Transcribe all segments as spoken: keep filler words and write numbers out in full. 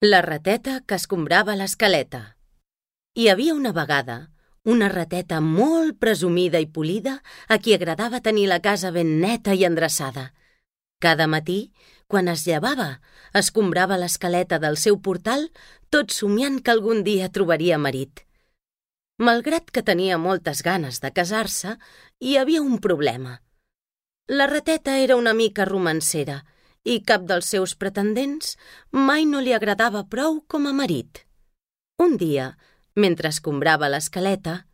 La rateta que escombrava l'escaleta. Hi havia una vegada una rateta molt presumida i polida a qui agradava tenir la casa ben neta i endreçada. Cada matí, quan es llevava, escombrava l'escaleta del seu portal, tot somiant que algun dia trobaria marit. Malgrat que tenia moltes ganes de casar-se, hi havia un problema. La rateta era una mica romancera i cap dels seus pretendents mai no li agradava prou com a marit. Un dia, mentre escombrava l'escaleta,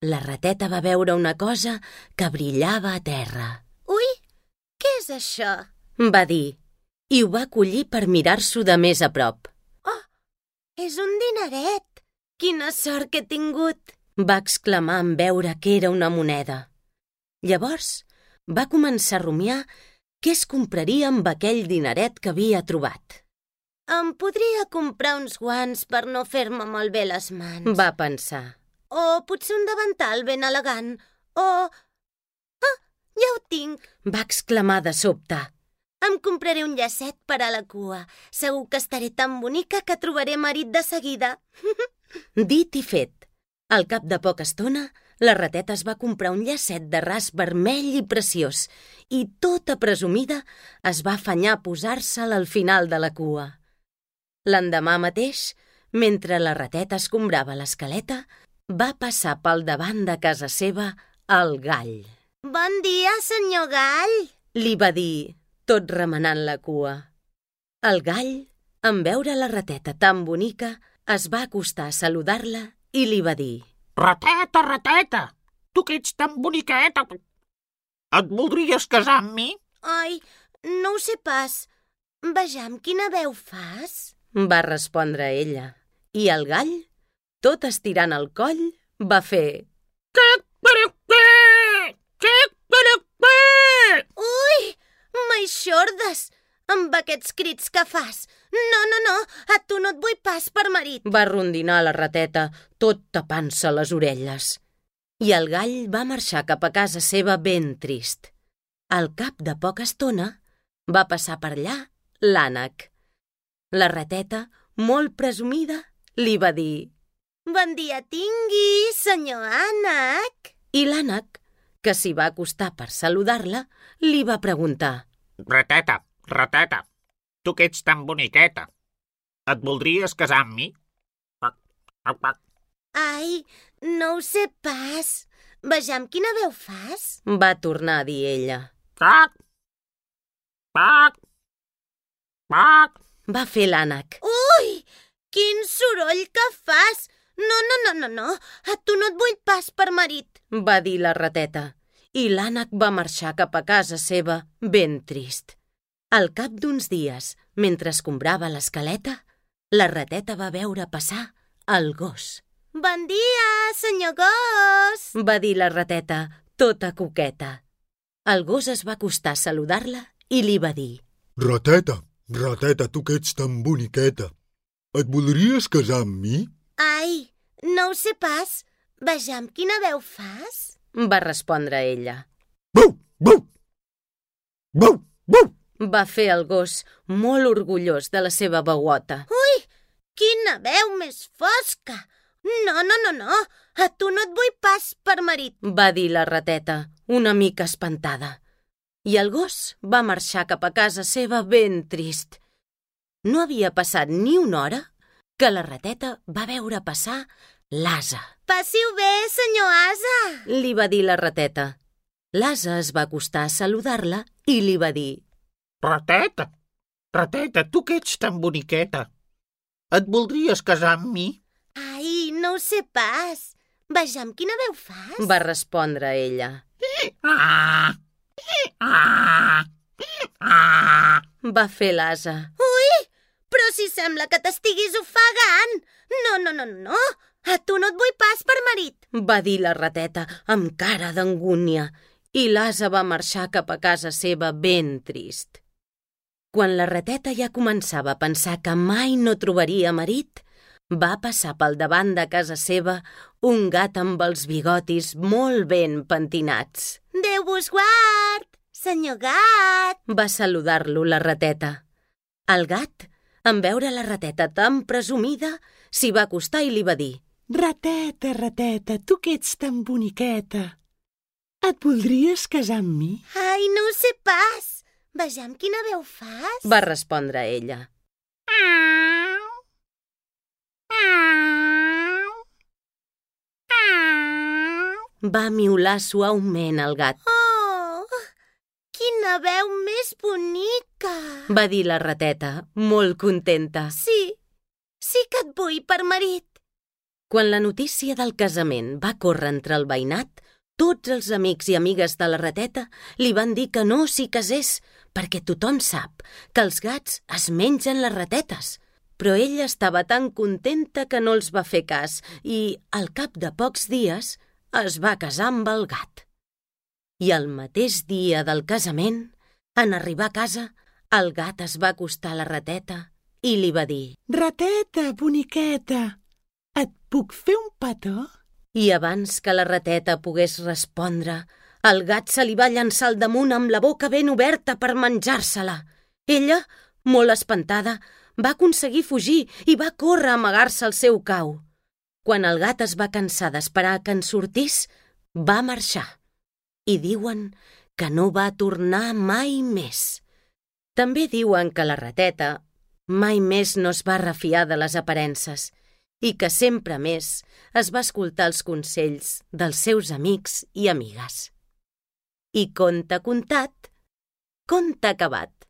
la rateta va veure una cosa que brillava a terra. Ui, què és això? Va dir, i ho va collir per mirar-s'ho de més a prop. Oh, és un dineret! Quina sort que he tingut! Va exclamar en veure que era una moneda. Llavors va començar a rumiar què es compraria amb aquell dineret que havia trobat. Em podria comprar uns guants per no fer-me malbé les mans. Va pensar. O potser un davantal ben elegant. O... Ah, ja ho tinc! Va exclamar de sobte. Em compraré un llacet per a la cua. Segur que estaré tan bonica que trobaré marit de seguida. Dit i fet. Al cap de poca estona, la rateta es va comprar un llacet de ras vermell i preciós i, tota presumida, es va afanyar a posar-se'l al final de la cua. L'endemà mateix, mentre la rateta escombrava l'escaleta, va passar pel davant de casa seva el gall. Bon dia, senyor gall! Li va dir, tot remenant la cua. El gall, en veure la rateta tan bonica, es va acostar a saludar-la i li va dir: Rateta, rateta, tu que ets tan boniqueta, et voldries casar amb mi? Ai, no ho sé pas. Vejam quina veu fas. Va respondre ella. I el gall, tot estirant el coll, va fer... Ui, m'eixordes! Amb aquests crits que fas. No, no, no, a tu no et vull pas per marit. Va rondinar la rateta, tot tapant-se les orelles. I el gall va marxar cap a casa seva ben trist. Al cap de poca estona, va passar per allà l'ànec. La rateta, molt presumida, li va dir: Bon dia tingui, senyor ànec. I l'ànec, que s'hi va acostar per saludar-la, li va preguntar: Rateta, rateta, tu que ets tan boniqueta, et voldries casar amb mi? Pac, pac, pac. Ai, no ho sé pas. Vejam quina veu fas. Va tornar a dir ella. Pac, pac, pac. Va fer l'ànec. Ui, quin soroll que fas! No, no, no, no, no, a tu no et vull pas per marit. Va dir la rateta. I l'ànec va marxar cap a casa seva ben trist. Al cap d'uns dies, mentre escombrava l'escaleta, la rateta va veure passar el gos. Bon dia, senyor gos! Va dir la rateta, tota coqueta. El gos es va acostar a saludar-la i li va dir: Rateta, rateta, tu que ets tan boniqueta, et voldries casar amb mi? Ai, no ho sé pas. Vejam quina veu fas. Va respondre ella. Bau, bau, bau, bau. Va fer el gos, molt orgullós de la seva veuota. Ui, quina veu més fosca! No, no, no, no, a tu no et vull pas per marit. Va dir la rateta, una mica espantada. I el gos va marxar cap a casa seva ben trist. No havia passat ni una hora que la rateta va veure passar l'ase. Passiu bé, senyor ase! Li va dir la rateta. L'ase es va acostar a saludar-la i li va dir: Rateta, rateta, tu que ets tan boniqueta, et voldries casar amb mi? Ai, no ho sé pas. Vejam quina veu fas. Va respondre ella. Ah, ah, ah. Va fer l'ase. Ui, però si sembla que t'estiguis ofegant. No, no, no, no, a tu no et vull pas per marit. Va dir la rateta amb cara d'angúnia i l'ase va marxar cap a casa seva ben trist. Quan la rateta ja començava a pensar que mai no trobaria marit, va passar pel davant de casa seva un gat amb els bigotis molt ben pentinats. Déu vos guard, senyor gat! Va saludar-lo la rateta. El gat En veure la rateta tan presumida, s'hi va acostar i li va dir: Rateta, rateta, tu que ets tan boniqueta, et voldries casar amb mi? Ai, no ho sé pas. Vejam quina veu fas. Va respondre ella. Va miular suaument el gat. Oh, quina veu més bonica. Va dir la rateta, molt contenta. Sí, sí que et vull per marit. Quan la notícia del casament va córrer entre el veïnat, tots els amics i amigues de la rateta li van dir que no s'hi casés, perquè tothom sap que els gats es mengen les ratetes. Però ella estava tan contenta que no els va fer cas i, al cap de pocs dies, es va casar amb el gat. I el mateix dia del casament, en arribar a casa, el gat es va acostar a la rateta i li va dir: Rateta, boniqueta, et puc fer un petó? I abans que la rateta pogués respondre, el gat se li va llançar al damunt amb la boca ben oberta per menjar-se-la. Ella, molt espantada, va aconseguir fugir i va córrer a amagar-se al seu cau. Quan el gat es va cansar d'esperar que en sortís, va marxar. I diuen que no va tornar mai més. També diuen que la rateta mai més no es va refiar de les aparences i que sempre més es va escoltar els consells dels seus amics i amigues. I conte contat, conte acabat.